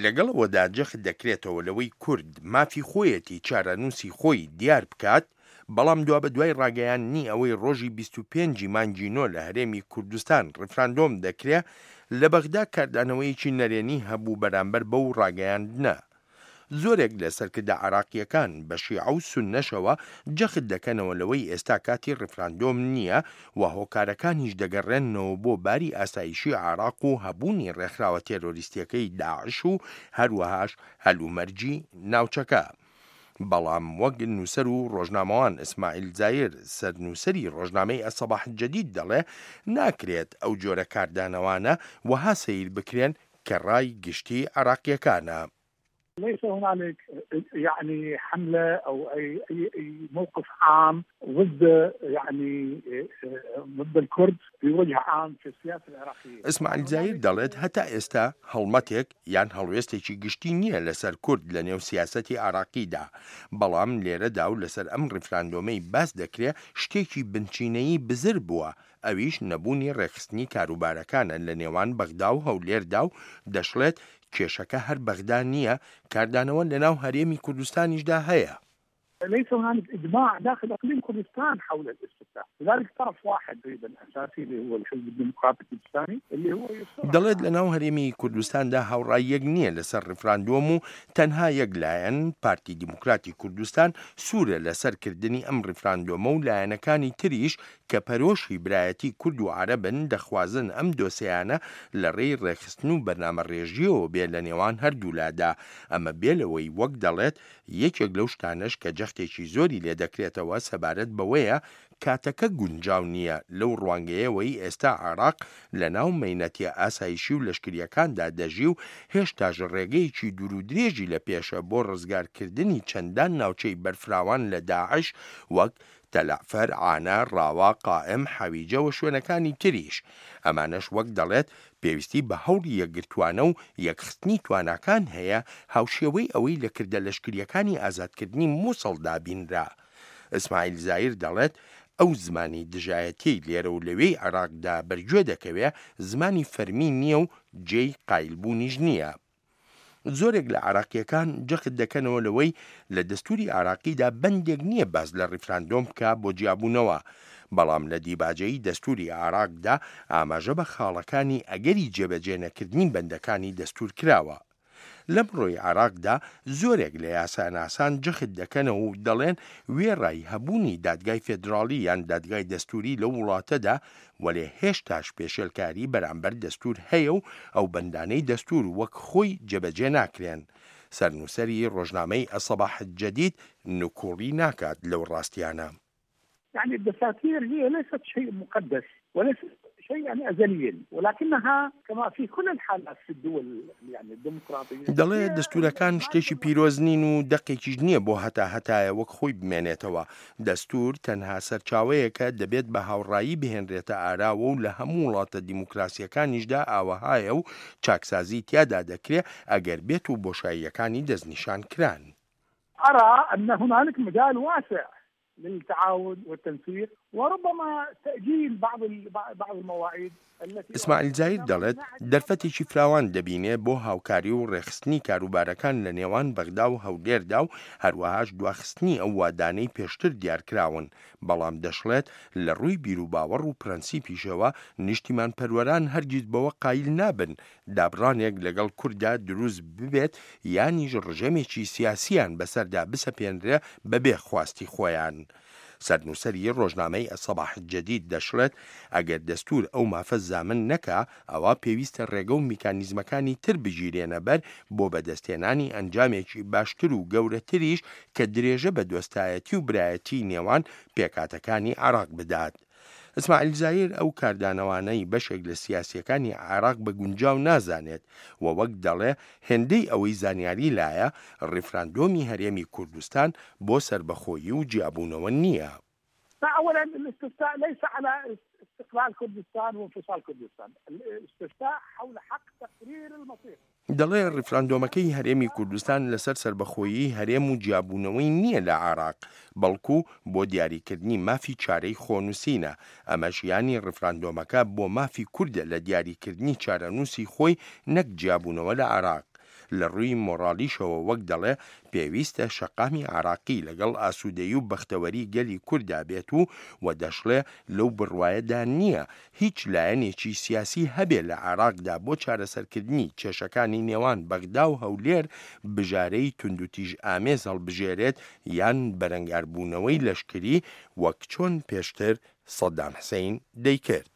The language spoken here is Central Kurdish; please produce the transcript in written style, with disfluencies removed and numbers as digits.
لەگەڵ ئەوەدا جەخت دەکرێتەوە لەوەی کورد مافی خۆیەتی چارەنووسی خۆی دیار بکات، بەڵام دوابەدوای ڕاگەیاندنی ئەوەی ڕۆژی 25 ی مانگی نۆ لە هەرێمی کوردستان ڕیفراندۆم دەکرێ، لە بەغدا کاردانەوەیەکی نەرێنی هەبوو بەرامبەر بەو ڕاگەیاندنە. زۆرێک لە سەرکردە عێراقییەکان بە شیعە و سوننەشەوە جەخت دەکەنەوە لەوەی ئێستا کاتی ڕیفراندۆم نییە و هۆکارەکانیش دەگەڕێننەوە بۆ باری ئاسایشی عێراق و هەبوونی ڕێکخراوە تێرۆریستییەکەی داعش و هەروەهاش هەلومەرجی ناوچەکە. بەڵام وەک نووسەر و ڕۆژنامەوان ئیسماعیل زایر سەرنووسەری ڕۆژنامەی ئەلسەباح الجدید دەڵێ ناکرێت ئەو جۆرە کاردانەوانە وەها سەیر بکرێن کە ڕای گشتی عێراقییەکانە. ليس هنالك يعني حملة أو أي أي أي موقف عام ضد يعني ضد الكرد بوجه عام في السياسة العراقية. ئیسماعیل زایر دەڵێت هەتا ئێستا هەڵمەتێک یان هەڵوێستێکی گشتی نییە لەسەر کورد لە نێو سیاسەتی عێراقیدا، بەڵام لێرەدا و لەسەر ئەم ڕیفراندۆمەی باس دەکرێ شتێکی بنچینەیی بزر بووە ئەویش نەبوونی ڕێکخستنی کاروبارەکانە لە نێوان بەغدا و هەولێردا و دەشڵێت کێشەکە هەر بەغدا نییە، کاردانەوە لەناو هەرێمی کوردستانیشدا هەیە. ليس هنالك اجماع داخل اقليم كردستان حول الاستفتاء لذلك طرف واحد تقريبا اساسي اللي هو الحزب الديمقراطي الكردستاني اللي هو دەڵێت لەناو هەرێمی کوردستاندا هاوڕای یەک نییە لەسەر ڕیفراندۆم و تەنها یەک لایەن، پارتی دیموکراتی کوردستان، سوورە لەسەر کردنی ئەم ڕیفراندۆمە و لایەنەکانی تریش کە پەرۆشی برایەتی کورد و عەرەبن دەخوازن ئەم دۆسێیانە لە ڕێی ڕێکخستن و بەرنامەڕێژییەوە بێ لە نێوان هەردوولادا، ئەمە بێ لەوەی وەک دەڵێت یەکێک لەو شتانەش کە جەختێکی زۆری لێ دەکرێتەوە سەبارەت بەوەیە کاتەکە گونجاو نییە لەو ڕوانگەیەوەی ئێستا عێراق لەناو مەینەتیە ئاسایشی و لەشکرییەکاندا دەژی و هێشتاش ڕێگەیەکی دوورودرێژی لە پێشە بۆ ڕزگارکردنی چەندان ناوچەی بەرفراوان لە داعش وەک تەلەعفەر، عانە، ڕاوە، قائم، حەویجە و شوێنەکانی تریش. ئەمانەش وەک دەڵێت پێویستی بە هەوڵی یەکگرتووانە و یەکخستنی تواناکان هەیە هاوشێوەی ئەوەی لە کردە لەشکرییەکانی ئازادکردنی موسڵدا بینرا. ئیسماعیل زایر دەڵێت ئەو زمانی دژایەتیەی لێرە و لەوێی عێراقدا بەرگوێ دەکەوێ زمانی فەرمی نییە و جێی قایلبوونیش نییە. زۆرێک لە عێراقییەکان جەخت دەکەنەوە لەوەی لە دەستوری عێراقیدا بەندێک نییە باس لە ڕیفراندۆم بکا بۆ جیابوونەوە، بەڵام لە دیباجەی دەستوری عێراقدا ئاماژە بە خاڵەکانی ئەگەری جێبەجێ نەکردنی بەندەکانی دەستور کراوە. لەمڕۆی عێراقدا زۆرێک لە یاساناسان جەخت دەکەنەوە و دەڵێن وێڕای هەبوونی دادگای فێدراڵی یان دادگای دەستوری لەو وڵاتەدا وەلێ هێشتاش پێشێلکاری بەرامبەر دەستوور هەیە و ئەو بەندانەی دەستوور وەک خۆی جێبەجێ ناکرێن. سەرنووسەری ڕۆژنامەی الصباح الجدید نکوڵی ناکات لەو ڕاستیانە. يعني الدساتير هي ليست شيء مقدس وليست شيئا ازليا ولكنها كما في كل الحالات في الدول يعني الديمقراطية دەڵێ دەستوورەکان شتێکی پیرۆز نین و دەقێکیش نییە بۆ هەتا هەتایە وەک خۆی بمێنێتەوە دەستوور تەنها سەرچاوەیەکە دەبێت بە هاوڕایی بهێنرێتە ئاراوە و لە هەموو وڵاتە دیموکراسییەکانیشدا ئاوەهایە و چاکسازی تیادا دەکرێ ئەگەر بێت و بۆشاییەکانی دەستنیشان کران. أرى أن هنالك مجال واسع للتعاون والتنسيق وربما تأجيل بعض بعض المواعيد ئیسماعیل زاهیر دەڵێت، دەرفەتێکی فراوان دەبینێ بۆ هاوکاری و ڕێکخستنی کاروبارەکان لە نێوان بەغدا و هەولێردا و هەروەهاش دواخستنی ئەو وادانەی پێشتر دیارکراون، بەڵام دەشڵێت، لە ڕووی بیروباوەڕ و پرەنسیپیشەوە نیشتیمانپەروەران هەرگیز بەوە قایل نابن دابڕانێک لەگەڵ کورددا دروست ببێت یانیش ڕژێمێکی سیاسییان بەسەردا بسەپێنرێ بەبێ خواستی خۆیان. سەرنووسەری ڕۆژنامەی الصباح الجدید دەشڵێت، ئەگەر دەستوور ئەو مافە زامن نەکا، ئەوا پێویستە ڕێگە و میکانیزمەکانی تر بگیرێنە بەر بۆ بەدەستهێنانی ئەنجامێکی باشتر و گەورەتریش کە درێژە بە دۆستایەتی و برایەتیی نێوان پێکهاتەکانی عێراق بدات. ئیسماعیل زایر ئەو کاردانەوانەی بەشێک لە سیاسییەکانی عێراق بە گونجاو نازانێت و وەک دەڵێ هێندەی ئەوەی زانیاری لایە، ڕیفراندۆمی هەرێمی کوردستان بۆ سەربەخۆیی و جیابوونەوە نییە. فأولا الاستفتاء ليس على استقلال كردستان وانفصال كردستان الاستفتاء حول حق تقرير المصير. دەڵێ ڕیفراندۆمەکەی هەرێمی کوردستان لەسەر سەربەخۆیی هەرێم و جیابوونەوەی نییە لە عێراق، بەڵکو بۆ دیاریکردنی مافی چارەی خۆنووسینە، ئەمەش یانی ڕیفراندۆمەکە بۆ مافی کوردە لە دیاریکردنی چارەنووسی خۆی نەک جیابوونەوە لە عێراق. لە ڕووی مۆڕالیشەوە وەک دەڵێ پێویستە شەقامی عێراقی لەگەڵ ئاسوودەیی و بەختەوەری گەلی کورددا بێت و و دەشڵێ لەو بڕوایەدا نییە هیچ لایەنێکی سیاسی هەبێ لە عێراقدا بۆ چارەسەرکردنی کێشەکانی نێوان بەغدا و هەولێر بژارەی توندوتیژئامێز هەڵبژێرێت یان بەرەنگاربوونەوەی لەشکری وەک چۆن پێشتر سەدام حسین دەیکرد.